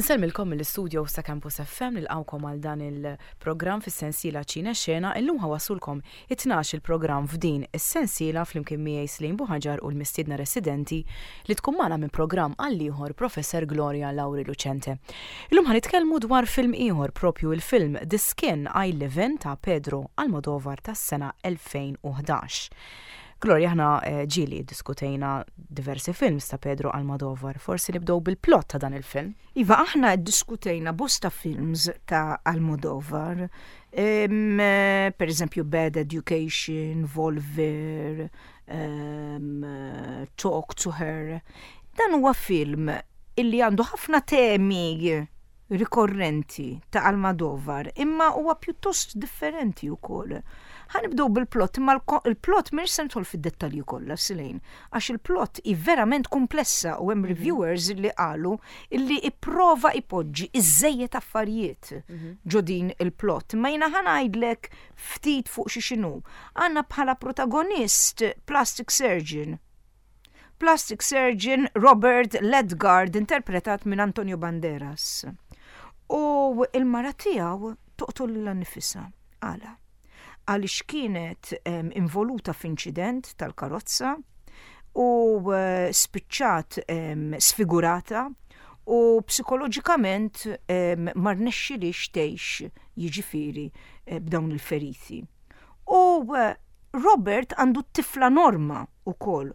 Insellmilkom mill-istudio sa Campus FM nilqgħukom għal dan il-programm fis-sensiela Ċine Xena. Illum ħawassulkom it-tnax il-programm f'din is-sensiela flimkien miegħi Slim Buħaġar u l-mistiedna residenti li tkun magħna minn programm għal ieħor Professor Gloria Lauri Lucente. Illum ħa nitkellmu dwar film ieħor propju il-film The Skin I Live In ta' Pedro Almodovar tas-sena 2011. Gloria, aħna eh, ġieli diskutejna diversi films ta' Pedro Almodovar. Forsi nibdew bil-plot ta' dan il-film. Iva, aħna diskutejna bosta films ta' Almodovar. Um, per eżempju, Bad Education, Volver, um, Talk to Her. Dan huwa film illi għandu ħafna temi rikorrenti ta' Almodovar, imma huwa pjuttost differenti wkoll. Ħa nibdew bil-plot, imma il-plot mhix se nidħol fid-dettalji kollha Silejn, għax il-plot hi verament komplessa u hemm mhm. reviewers li qalu illi ipprova ipoġġi iżejjed affarijiet mhm. ġo din il-plot. Ma jiena ħa ngħidlek ftit fuq xi xinu. Għandna bħala protagonist plastic surgeon Plastic surgeon Robert Ledgard interpretat minn Antonio Banderas. U il-mara tiegħu toqtol lilha nnifisha. Għala? Għaliex kienet involuta f'inċident tal-karozza u eh, spiċċat sfigurata u psikoloġikament ma rnexxilix tgħix jiġifieri eh, b'dawn il-feriti. U eh, Robert għandu t-tifla Norma ukoll.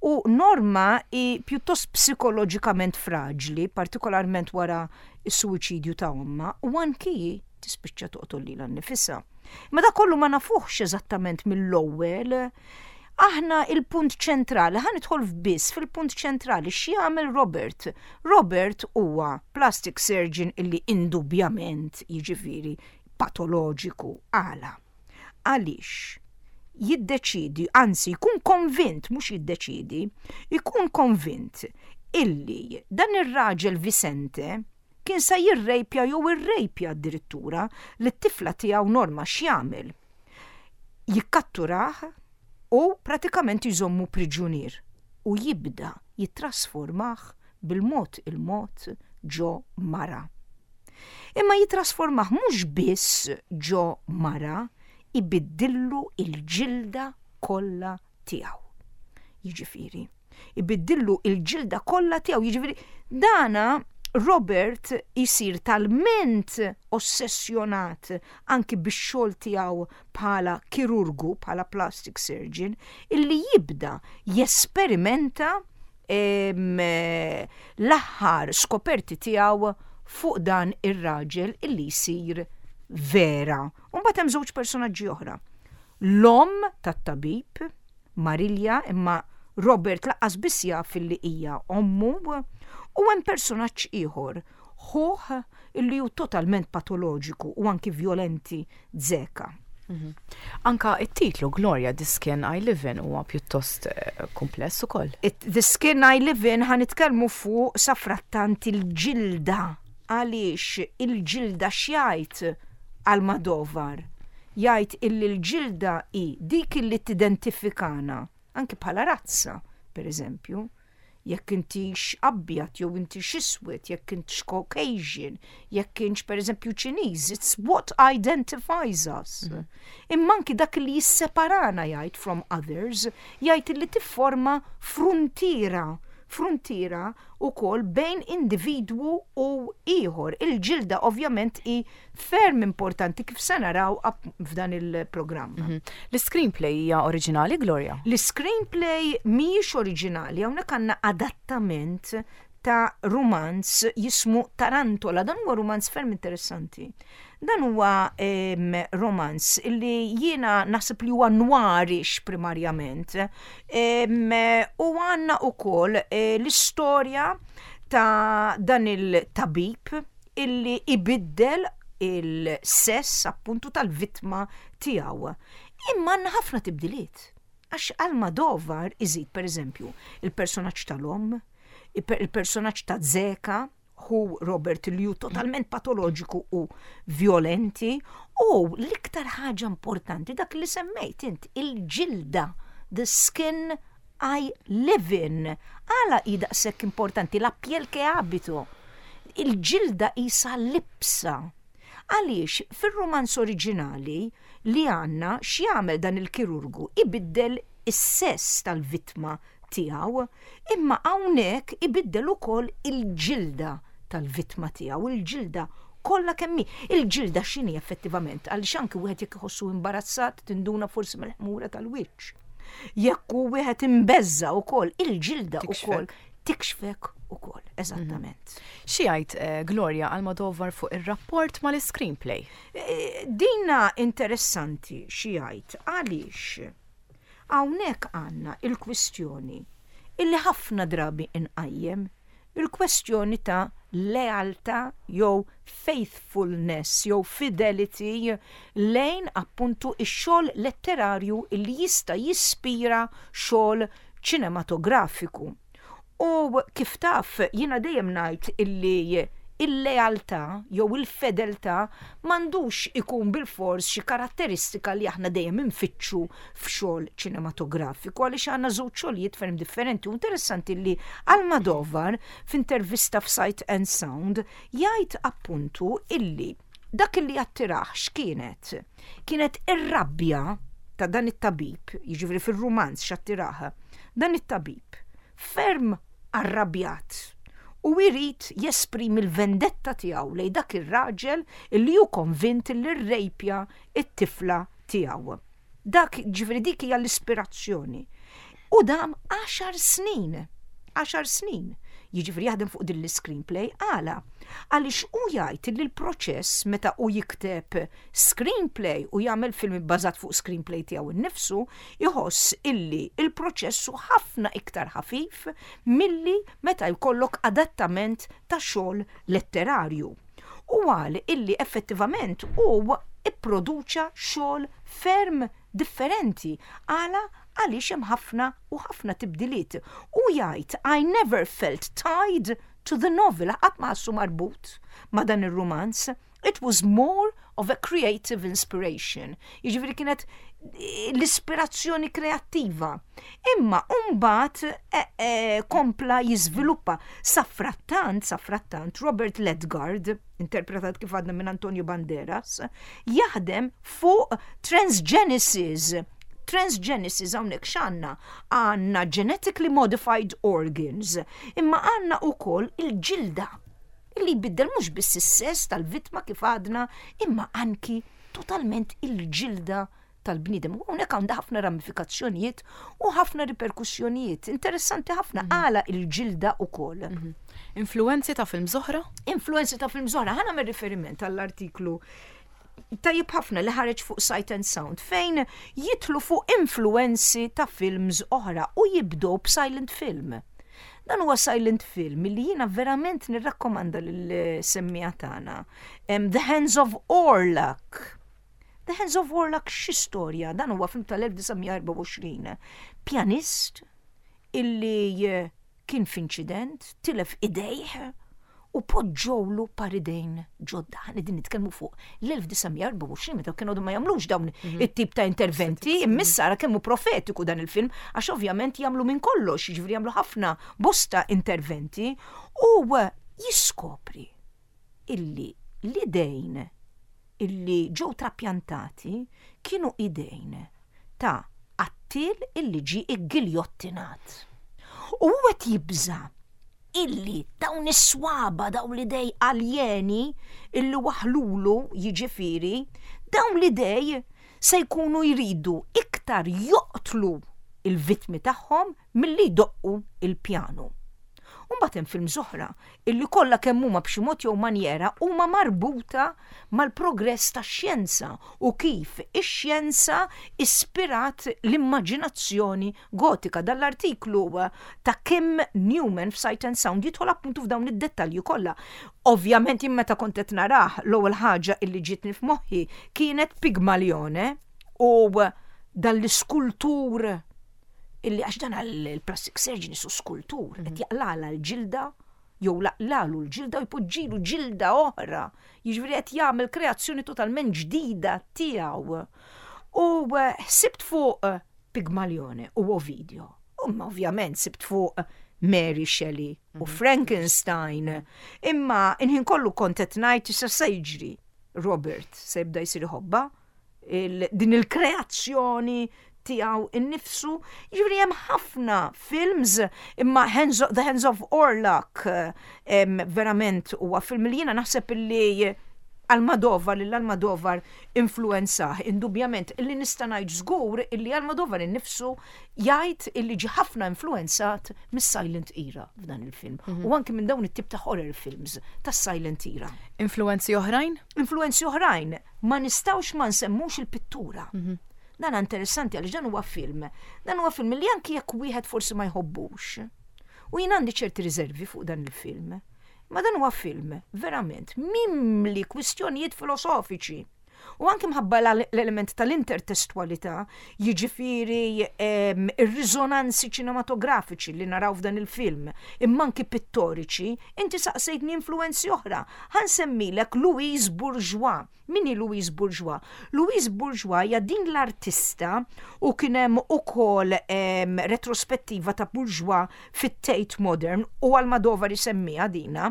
U Norma hi pjuttost psikoloġikament fraġli, partikolarment wara s-suwiċidju ta' ommha, u anki hi tispiċċa toqtol lilha nnifisha. Imma dak kollu ma nafuhx eżattament mill-ewwel. Aħna il-punt ċentrali, ħa nidħol biss fil-punt ċentrali x'jagħmel Robert. Robert huwa plastic surgeon illi indubjament jiġifieri patoloġiku għala. Għaliex jiddeċiedi, anzi jkun konvint, mhux jiddeċiedi, jkun konvint illi dan ir-raġel Vicente kien sa jirrejpja jew irrejpja addirittura lit-tifla tiegħu Norma x'jagħmel? Jikkatturah u pratikament jżommu priġunier u jibda jittrasformah bil-mod il-mod ġo mara. Imma jittrasformah mhux biss ġo mara, ibiddillu l-ġilda kollha tiegħu. Jiġifieri, ibiddillu l-ġilda kollha tiegħu, jiġifieri dana Robert isir talment ossessjonat anki bix-xogħol tiegħu bħala kirurgu, bħala plastic surgeon, illi jibda jesperimenta l-aħħar skoperti tiegħu fuq dan ir-raġel illi jsir vera. U mbagħad hemm żewġ personaġġi oħra. L-omm tat-tabib, Marilja, imma Robert laqqas biss jaf illi hija ommu, u hemm personaġġ ieħor, ħuh illi hu totalment patoloġiku u anki vjolenti Zeka. Mhm. Anka it-titlu Gloria, The Skin I Live In huwa pjuttost eh, kumpless ukoll. The Skin I Live In ħa nitkellmu fuq safrattant il-ġilda għaliex il-ġilda x'jgħid Almodovar. Jgħid illi l-ġilda hi dik illi tidentifikana anki bħala razza, per eżempju jekk intix abjad jew intix iswed, jekk intix Caucasian, jekk intx pereżempju Ċiniż, it's what identifies us. Mm. Imma anki dak li jisseparana jgħid from others, jgħid li tifforma fruntiera fruntiera ukoll bejn individwu u ieħor. Il-ġilda ovvjament hi ferm importanti kif se naraw f'dan il-programm. Mhm. L-screenplay hija oriġinali, Gloria? L-screenplay mhijiex oriġinali, hawnhekk għandna adattament ta' rumanz jismu Tarantola. Dan huwa rumanz ferm interessanti. Dan huwa romanz li jiena naħseb li huwa noirish primarjament. U għandna ukoll eh, l-istorja ta' dan il-tabib illi ibiddel il-sess appuntu tal-vittma tiegħu. Imma għandna ħafna tibdiliet. Għax Almodovar iżid pereżempju il-personaġġ tal-omm, il-personaġġ ta' Zeka, hu Robert li hu totalment patoloġiku u violenti, u l-iktar ħaġa importanti dak li semmejt int, il-ġilda, the skin I live in. Għala hi daqshekk importanti la piel que habito. Il-ġilda qisha libsa. Għaliex fir-rumanz oriġinali li għandna x'jagħmel dan il-kirurgu ibiddel is-sess tal-vittma tiegħu, imma hawnhekk ibiddel ukoll il-ġilda tal-vittma tiegħu, il-ġilda kollha kemm hi. Il-ġilda x'inhi effettivament? Għaliex anki wieħed jekk iħossu imbarazzat tinduna forsi mill-ħmura tal-wiċċ. Jekk hu wieħed imbeżża' wkoll, il-ġilda wkoll tikxfek ukoll, eżattament. Xi jgħid eh, Gloria Almodovar fuq ir-rapport mal-screenplay? Eh, dina interessanti xi jgħid għaliex hawnhekk għandna il-kwistjoni illi ħafna drabi inqajjem il-kwestjoni ta' lealtà jew faithfulness jew fidelity lejn appuntu x-xogħol letterarju li jista' jispira xogħol ċinematografiku. U kif taf, jiena dejjem ngħid illi il-lealtà jew il-fedeltà m'għandux ikun bilfors xi karatteristika li aħna dejjem infittxu f'xogħol ċinematografiku għaliex għandna żewġ xogħlijiet ferm differenti u interessanti li Almodovar f'intervista f'Sight and Sound jgħid appuntu illi dak illi attirah x'kienet? Kienet ir-rabja ta' dan it-tabib, jiġifieri fir-rumanz x'attirah, dan it-tabib ferm arrabjat u jrid jesprimi l-vendetta tiegħu lejn dak ir-raġel illi hu konvint illi rrejpja t-tifla tiegħu. Dak, ġifieri dik hija l-ispirazzjoni. U dam għaxar snin, għaxar snin, jiġifieri jaħdem fuq din l-iscreenplay għala? Għaliex hu jgħid li l-proċess meta hu jikteb screenplay u jagħmel film ibbażat fuq screenplay tiegħu nnifsu, iħoss illi l-proċess hu ħafna iktar ħafif milli meta jkollok adattament ta' xogħol letterarju. U qal illi effettivament hu ipproduċa xogħol ferm differenti. Għala? Għaliex hemm ħafna u ħafna tibdiliet. Hu jgħid I never felt tied to the novel, qatt ma ħassu marbut ma' dan ir-rumanz. It was more of a creative inspiration. Jiġifieri kienet l-ispirazzjoni kreattiva. Imma mbagħad eh, eh, kompla jiżviluppa. Safrattant, safrattant, Robert Ledgard, interpretat kif għadna minn Antonio Banderas, jaħdem fuq transgenesis. Transgenesis hawnhekk x'għandna? Għandna genetically modified organs, imma għandna wkoll il-ġilda li jbiddel mhux biss is-sess tal-vittma kif għadna, imma anki totalment il-ġilda tal-bniedem. U hawnhekk għandha ħafna ramifikazzjonijiet u ħafna riperkussjonijiet. Interessanti ħafna mhm. għala il-ġilda ukoll. Mhm. Influenzi ta' film oħra? Influenzi ta' film oħra. Ħana mir riferiment għall-artiklu tajjeb ħafna li ħareġ fuq Sight and Sound fejn jitlu fuq influenzi ta' films oħra u jibdow b'silent film. Dan huwa silent film li jiena verament nirrakkomanda lill-semmiegħa tagħna. The Hands of Orlac. The Hands of Orlac xi storja, dan huwa film tal-1924. Pjanist illi eh, kien f'inċident, tilef idejh u poġġewlu par idejn ġodda. Aħna qegħdin nitkellmu fuq l-1924 meta kienu ma jagħmlux dawn mhm. it-tip ta' interventi, imma ara kemm hu profetiku dan il-film għax ovvjament jagħmlu minn kollox, jiġifieri jagħmlu ħafna bosta interventi u jiskopri illi l-idejn illi ġew trapjantati kienu idejn ta' qattiel illi ġie iggiljottinat. U hu qed jibża' illi dawn is-swaba, dawn l-idej aljeni illi waħlulu jiġifieri, dawn l-idej se jkunu jridu iktar joqtlu il-vittmi tagħhom milli jdoqqu il-pjanu. U mbagħad hemm films oħra illi kollha kemm huma b'xi mod jew manjera huma marbuta mal-progress tax-xjenza u kif ix-xjenza ispirat l-immaġinazzjoni gotika. Dan l-artiklu ta' Kim Newman f'Sight and Sound jidħol appuntu f'dawn id-dettalji kollha. Ovvjament jien meta kont qed narah l-ewwel ħaġa illi ġietni f'moħħi kienet Pigmalione u dan l-iskultur illi għax dan il-plastic surgeon isu skultur, qed mhm. jaqlala l-ġilda jew laqlalu l-ġilda u jpoġġilu ġilda oħra. Jiġifieri qed jagħmel kreazzjoni totalment ġdida tiegħu. U eh, ħsibt fuq eh, Pigmalione u Ovidio. Umma ovvjament sibt fuq Mary Shelley u mhm. Frankenstein. Imma inħin kollu kont qed ngħid issa se jiġri Robert se jibda jsir iħobba din il-kreazzjoni tiegħu innifsu. Jiġifieri hemm ħafna films imma Hands of, The Hands of Orlac verament huwa film li jiena naħseb illi Almodovar lil Almodovar influenzah indubjament illi nista' ngħid żgur illi Almodovar innifsu jgħid illi ġie ħafna influenzat mis-silent era f'dan il-film mm -hmm. u anki minn dawn it-tip ta' horror films tas-silent era. Influenzi oħrajn? Influenzi oħrajn ma nistgħux ma nsemmux il-pittura. Mm -hmm. Dan interessanti għaliex dan huwa film. Dan huwa film li anki jekk wieħed forsi ma jħobbux. U jien għandi ċerti riservi fuq dan il-film. Ma dan huwa film verament mimli kwistjonijiet filosofiċi. U anki mħabba l-element tal-intertestwalità, jiġifieri ir-riżonanzi ċinematografiċi li naraw f'dan il-film, imma anki pittoriċi, inti saqsejtni influenzi oħra. Ħa nsemmilek Louise Bourgeois. Min hi Louise Bourgeois? Louise Bourgeois hija din l-artista u kien hemm ukoll retrospettiva ta' Bourgeois fit-Tate Modern u Almodovar isemmiha dina.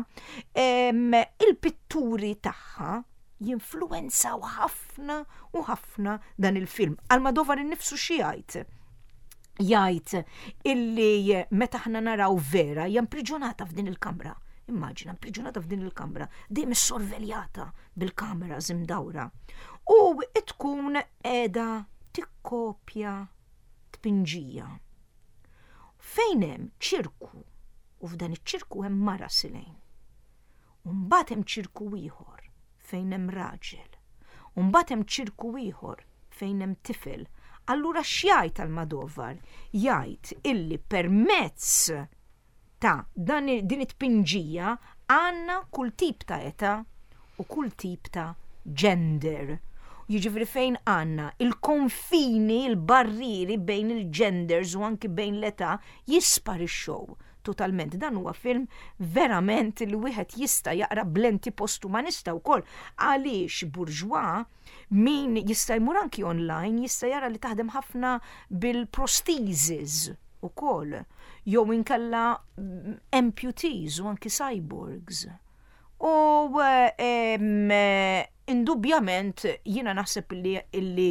Il-pitturi tagħha jinfluwenzaw ħafna u ħafna dan il-film. Almodovar innifsu xi jgħid? Jgħid illi meta aħna naraw Vera hija impriġunata f'din il-kamra. Immaġina, impriġunata f'din il-kamra, dejjem issorveljata bil-kameras imdawra. U tkun qiegħda tikkopja tpinġija. Fejn hemm ċirku, u f'dan iċ-ċirku hemm mara silejn. U mbagħad hemm ċirku ieħor fejn hemm raġel. U mbagħad hemm ċirku ieħor fejn hemm tifel. Allura x'jgħid Almodovar? Jgħid illi permezz ta' dan din it-tpinġija għandna kull tip ta' età u kull tip ta' gender. Jiġifieri fejn għandna il-konfini, il-barrieri bejn il-genders u anki bejn l-età jisparixxew totalment. Dan huwa film verament li wieħed jista' jaqra b'lenti postumanista wkoll għaliex Bourgeois min jista' jmur anki online jista' jara li taħdem ħafna bil-prostheses ukoll jew inkella amputees u anki cyborgs. U indubjament jiena naħseb li illi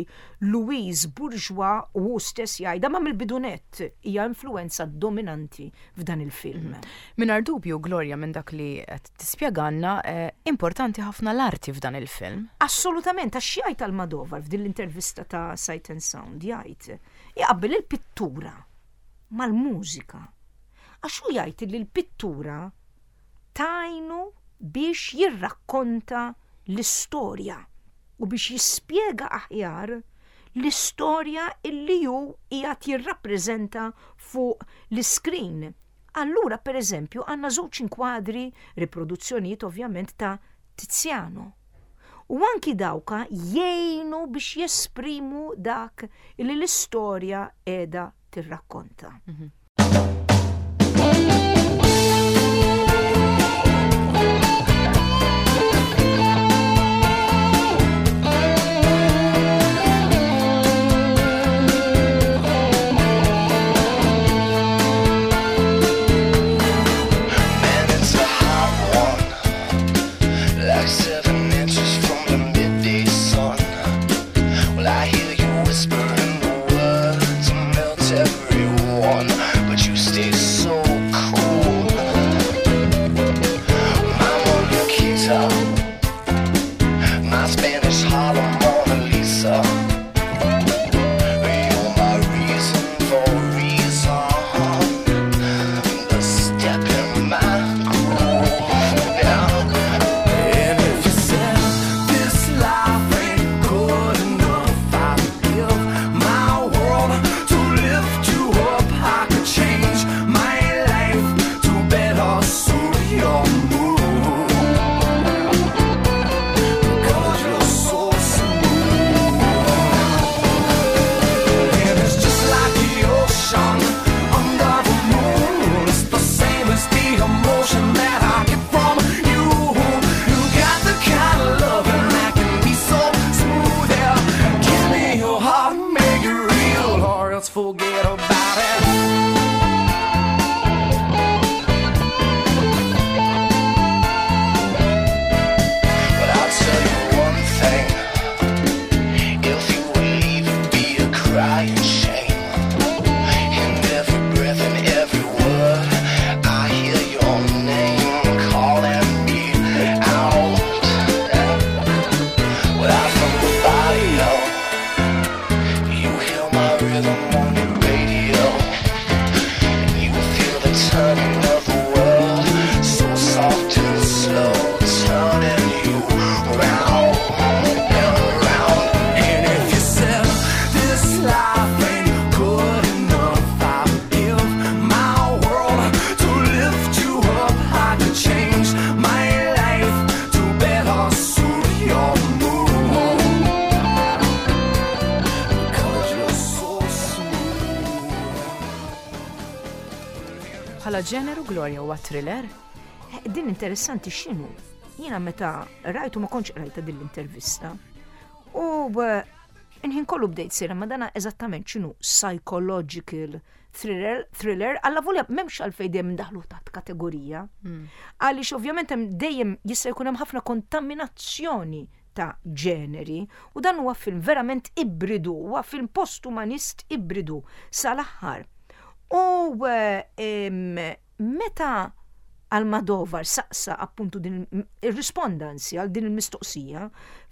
Louise Bourgeois u hu stess jgħidha ma mill-bidunett hija influenza dominanti f'dan il-film. Mingħajr dubju, Gloria, minn dak li qed tispjegalna, eh, importanti ħafna l-arti f'dan il-film. Assolutament, għax jgħid Almodovar f'din l-intervista ta' Sight and Sound jgħid jaqabbel il-pittura mal-mużika. Għax hu jgħid li l-pittura tgħinu biex jirrakkonta l-istorja u biex jispjega aħjar l-istorja illi hu qiegħed jirrappreżenta fuq l-iskrin. Allura, per eżempju, għandna żewġ inkwadri, riproduzzjonijiet ovvjament ta' Tiziano. U anki dawka jgħinu biex jesprimu dak illi l-istorja qiegħda tirrakkonta. Mhm. Bħala ġeneru Gloria huwa thriller? Eh, din interessanti x'inhu. Jiena meta rajtu ma kontx qrajta din l-intervista. U eh, inħin kollu bdejt sejra ma dana eżattament x'inhu psychological thriller, thriller alla volja m'hemmx għalfejn dejjem ndaħlu taħt kategorija. Għaliex ovvjament hemm dejjem jista' jkun hemm ħafna kontaminazzjoni ta' ġeneri u dan huwa film verament ibridu, huwa film postumanist ibridu sal-aħħar. U eh, meta Almodovar saqsa appuntu din irrisponda anzi għal din il-mistoqsija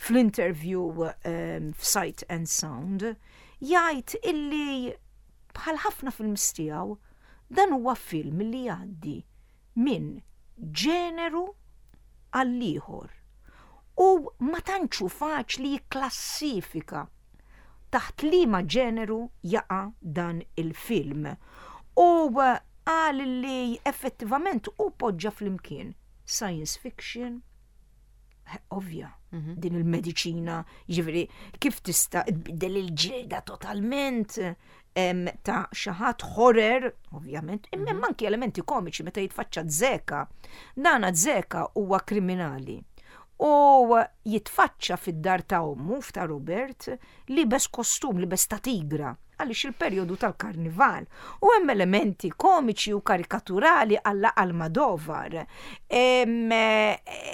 fl-interview f'Sight and Sound, jgħid illi bħal ħafna films tiegħu dan huwa film li jgħaddi minn ġeneru għall-ieħor u ma tantx hu faċli jikklassifika taħt liema ġeneru jaqa' dan il-film. U qal li effettivament hu poġġa flimkien science fiction, ovvja, mhm. din il-mediċina, jiġifieri kif tista' tbiddel il-ġilda totalment ta' xi ħadd horror, ovvjament, imma mhm. anki elementi komiċi meta jitfaċċa Zeka. Dana Zeka huwa kriminali. U jitfaċċa fid-dar ta' ommu f'ta' Robert libes kostum, libes ta' tigra għaliex il-perjodu tal-karnival. U hemm elementi komiċi u karikaturali alla Almodovar. Eh,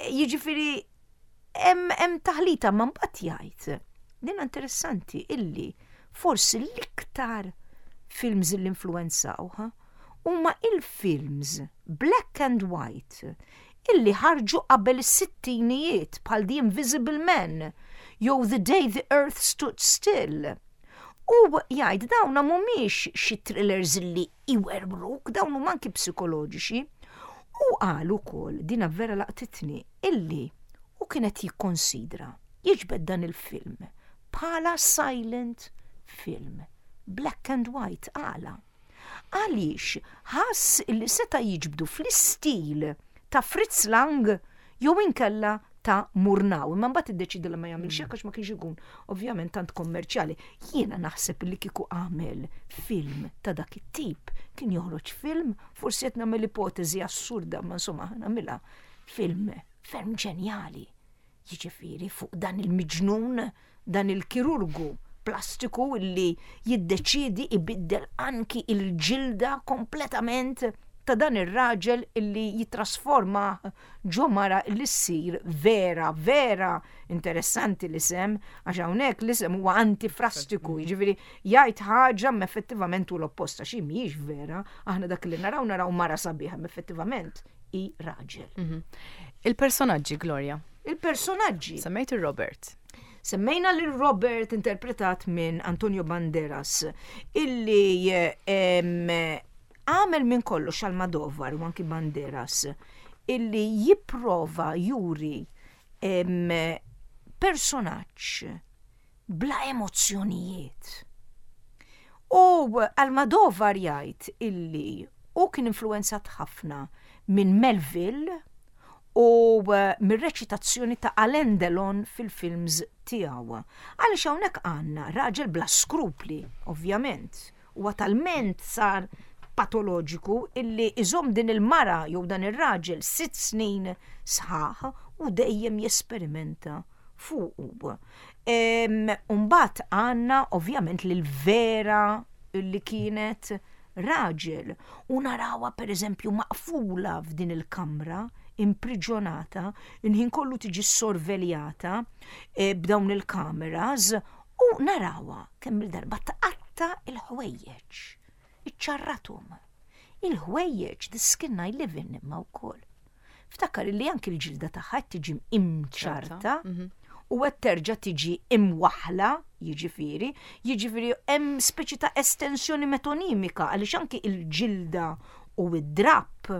jiġifieri hemm taħlita ma mbagħad jgħid. Din interessanti illi forsi l-iktar films li influenzawha huma il-films black and white illi ħarġu qabel is-sittinijiet bħal The Invisible Man jew The Day the Earth Stood Still. U jgħid dawna mhumiex xi thrillers li iwerwruk, dawn huma anki psikoloġiċi. U qal ukoll, dina vera laqtitni, illi hu kien qed jikkonsidra jiġbed dan il-film bħala silent film, black and white, għala? Għaliex ħass illi seta' jiġbdu fl-istil ta' Fritz Lang jew inkella ta' Murnau, imma mbagħad iddeċieda li ma jagħmilx hekk għax ma kienx ikun ovvjament tant kommerċjali. Jiena naħseb li kieku għamel film ta' dak it-tip, kien joħroġ film, forsi qed nagħmel ipoteżi assurda, ma insomma nagħmilha film ferm ġenjali. Jiġifieri fuq dan il-miġnun, dan il-kirurgu plastiku illi jiddeċiedi ibiddel anki il-ġilda kompletament ta' dan ir-raġel illi jittrasforma ġo mara li ssir vera, vera interessanti l-isem, għax hawnhekk l-isem huwa antifrastiku, jiġifieri jgħid ħaġa ma effettivament hu l-opposta, xi mhijiex vera, aħna dak li naraw naraw mara sabiħa, ma effettivament hi raġel. Mhm. Il-personaġġi, Gloria. Il-personaġġi. Semmejt il-Robert. Semmejna lil Robert interpretat minn Antonio Banderas illi għamel minn kollox Almodovar u anki Banderas illi jipprova juri personaġġ bla emozzjonijiet. U Almodovar jgħid illi hu kien influenzat ħafna minn Melville u mir-reċitazzjoni ta' Alain Delon fil-films tiegħu. Għaliex hawnhekk għandna raġel bla skrupli, ovvjament. Huwa talment sar patoloġiku illi iżomm din il-mara jew dan ir-raġel sitt snin sħaħ u dejjem jesperimenta fuqu. Umbagħad għandna ovvjament lil Vera li kienet raġel u narawha pereżempju maqfula f'din il-kamra, impriġjonata, il-ħin kollu tiġi sorveljata eh, b'dawn il-kameras u narawha kemm il-darba tqatta' il-ħwejjeġ, iċċarrathom. Il-ħwejjeġ, the skin I live in imma wkoll. Ftakar li anki l-ġilda tagħha qed tiġi imċarta mhm. u qed terġa' tiġi imwaħla, jiġifieri, jiġifieri hemm speċi ta' estensjoni metonimika għaliex anki il-ġilda u id-drapp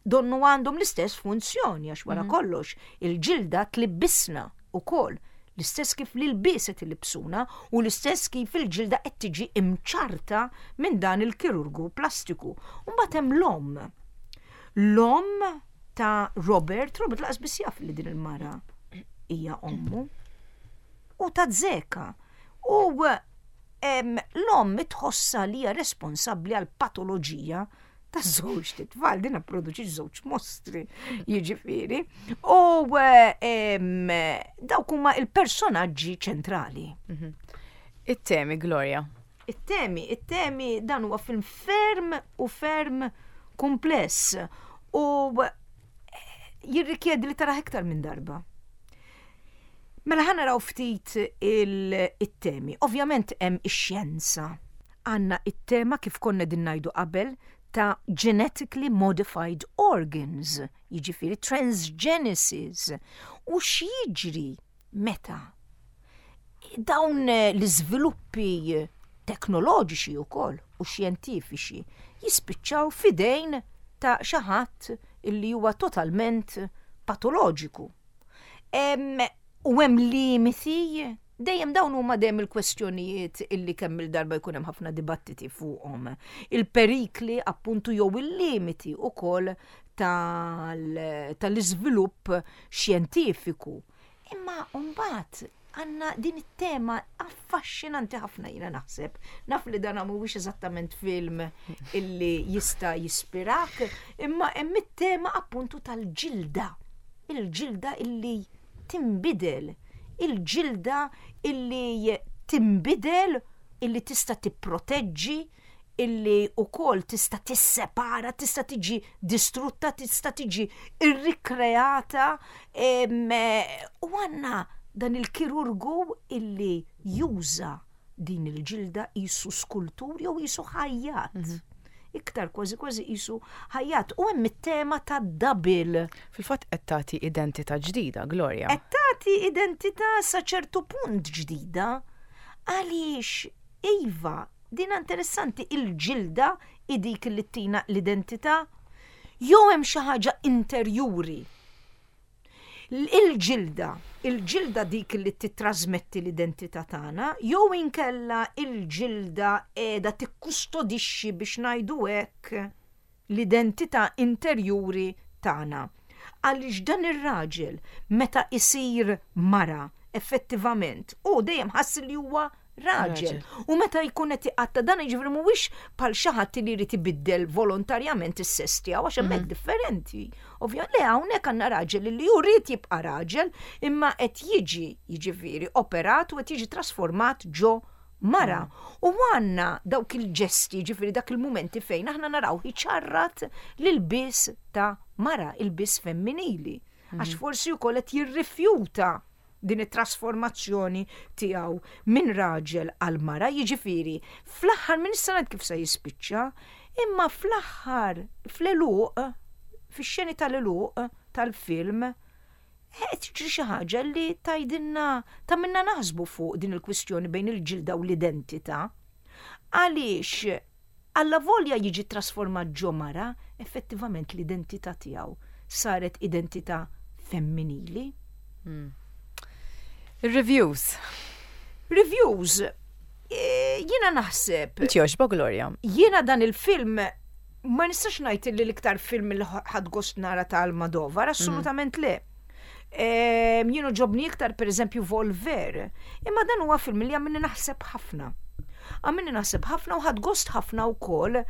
donnu għandhom l-istess funzjoni għax wara mhm. kollox il-ġilda tlibbisna ukoll l-istess kif l-ilbies qed ilibsuna u l-istess kif il-ġilda qed tiġi imċarta minn dan il-kirurgu plastiku. U mbagħad hemm l-omm L-omm ta' Robert, Robert laqas biss jaf li din il-mara hija ommu. U ta' Zeka. U l-omm tħossa li hija responsabbli għal patoloġija ta' żewġ titfal, din produċi żewġ mostri, jiġifieri. U eh, dawk huma il-personaġġi ċentrali. It-temi, Gloria. It-temi, it-temi dan huwa film ferm u ferm kumpless u eh, jirrikjedi li taraħ iktar minn darba. Mela ħa naraw ftit il-temi. Ovvjament hemm ix-xjenza. Għandna it-tema kif konna din ngħidu qabel ta' genetically modified organs, jiġifieri transgenesis. U x'jiġri meta dawn l-iżviluppi teknoloġiċi wkoll u xjentifiċi jispiċċaw fidejn ta' xi ħadd illi huwa totalment patoloġiku. U hemm limiti, dejjem dawn huma dejjem il-kwestjonijiet illi kemm il-darba jkun hemm ħafna dibattiti fuqhom. Il-perikli appuntu jew il-limiti ukoll tal-iżvilupp xjentifiku. Imma mbagħad għandna din it-tema affaxxinanti ħafna jiena naħseb. Naf li dan mhuwiex eżattament film illi jista' jispirak, imma hemm it-tema appuntu tal-ġilda. Il-ġilda illi tinbidel, il-ġilda illi tinbidel illi tista' tipproteġġi, illi wkoll tista' tissepara, tista' tiġi distrutta, tista' tiġi irrikreata u għandna dan il-kirurgu illi juża din il-ġilda qisu skultur jew qisu ħajjat. Iktar kważi kważi qisu ħajjat. U hemm it-tema ta' double. Fil-fatt qed tagħti identità ġdida, Gloria. Qed tagħti identità sa ċertu punt ġdida. Għaliex iva, din interessanti il-ġilda hi dik li tina l-identità jew hemm xi ħaġa interjuri. Il-ġilda, il-ġilda dik li titrasmetti l-identità tagħna, jew inkella il-ġilda qiegħda tikkustodixxi biex ngħidu hekk l-identità interjuri tagħna. Għaliex dan ir-raġel meta isir mara effettivament, hu dejjem ħass li huwa raġel. U meta jkun qed iqatta' dan jiġifieri mhuwiex bħal xi ħadd li jrid ibiddel volontarjament is-sess tiegħu għax hemmhekk differenti. Ovvja le hawnhekk għandna raġel li hu ried jibqa' raġel imma qed jiġi jiġifieri operat u qed jiġi trasformat ġo mara. U għandna dawk il-ġesti, jiġifieri dak il-mumenti fejn aħna naraw iċarrat l-ilbies ta' mara, ilbies femminili. Għax forsi wkoll qed jirrifjuta din it-trasformazzjoni tiegħu minn raġel għal mara, jiġifieri fl-aħħar minn issa ngħid kif se jispiċċa, imma fl-aħħar fl-għeluq, fix-xeni tal-għeluq tal-film, qed tiġri xi ħaġa li tgħidilna tagħmilna naħsbu fuq din il-kwistjoni bejn il-ġilda u l-identità. Għaliex allavolja jiġi trasformat ġo mara, effettivament l-identità tiegħu saret identità femminili. Reviews. Reviews. Jiena naħseb. Inti jogħġbok, Gloria? Jiena dan il-film ma nistax ngħid li l-iktar film li ħadt gost nara ta' Almodovar, assolutament le. Jien għoġobni iktar per eżempju Volver, imma dan huwa film li għamilni naħseb ħafna. Għamilni naħseb ħafna u ħadt gost ħafna wkoll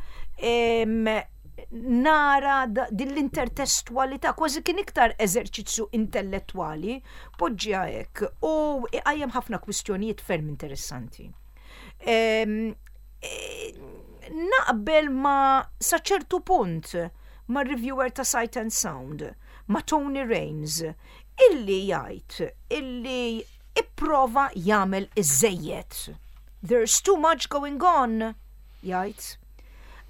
nara din l-intertestwalità, kważi kien iktar eżerċizzju intellettwali, poġġiha hekk, u iqajjem ħafna kwistjonijiet ferm interessanti. Naqbel ma sa ċertu punt ma' reviewer ta' Sight and Sound, ma' Tony Rayns, illi jgħid illi ipprova jagħmel iż-żejjed. There's too much going on, jgħid.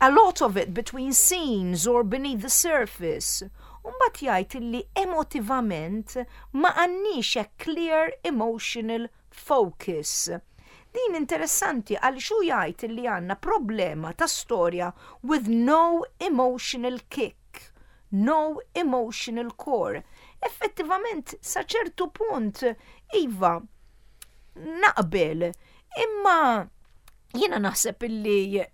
A lot of it between scenes or beneath the surface. U mbagħad jgħid illi emotivament ma għandniex a clear emotional focus. Din interessanti għaliex hu jgħid illi għandna problema ta' storja with no emotional kick, no emotional core. Effettivament sa ċertu punt, iva, naqbel, imma jiena naħseb illi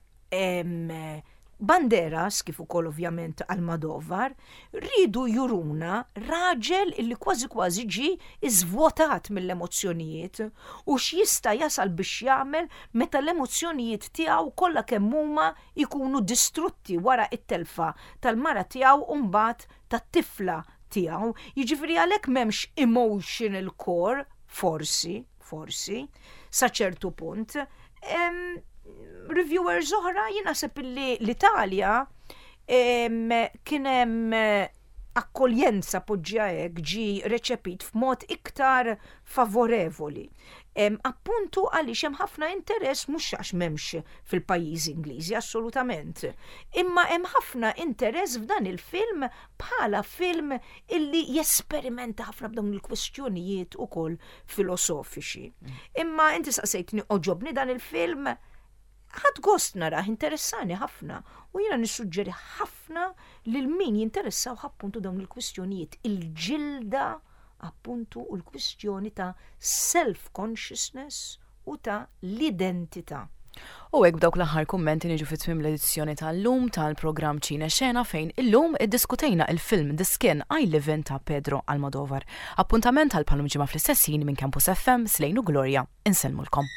Banderas, kif ukoll ovvjament Almodovar, riedu juruna raġel illi kważi kważi ġie iżvwotat mill-emozzjonijiet u x'jista' jasal biex jagħmel meta l-emozzjonijiet tiegħu kollha kemm huma jkunu distrutti wara t-telfa tal-mara tiegħu u mbagħad tat-tifla tiegħu. Jiġifieri għalhekk m'hemmx emotional core, forsi, forsi, sa ċertu punt. Reviewers oħra jien naħseb li l-Italja kien hemm akkoljenza poġġja hekk ġi reċepit f'mod iktar favorevoli. Appuntu għaliex hemm ħafna interess mhux għax m'hemmx fil-pajjiżi Ingliżi assolutament. Imma hemm ħafna interess f'dan il-film bħala film illi jesperimenta ħafna b'dawn il-kwestjonijiet ukoll filosofiċi. Imma inti saqsejtni oġobni dan il-film, ħadt gost narah, interessani ħafna u jiena nissuġġeri ħafna lil min jinteressaw appuntu dawn il-kwistjonijiet, il-ġilda appuntu u l-kwistjoni ta' self-consciousness u ta' l-identità. U hekk b'dawk l-aħħar kummenti niġu fi tmiem l-edizzjoni tal-lum tal-programm Ċine Xena fejn illum iddiskutejna il-film The Skin I Live In ta' Pedro Almodovar. Appuntament għal bħalum ġimgħa fl-istess ħin minn Campus FM, Slejn u Gloria, insellmulkom.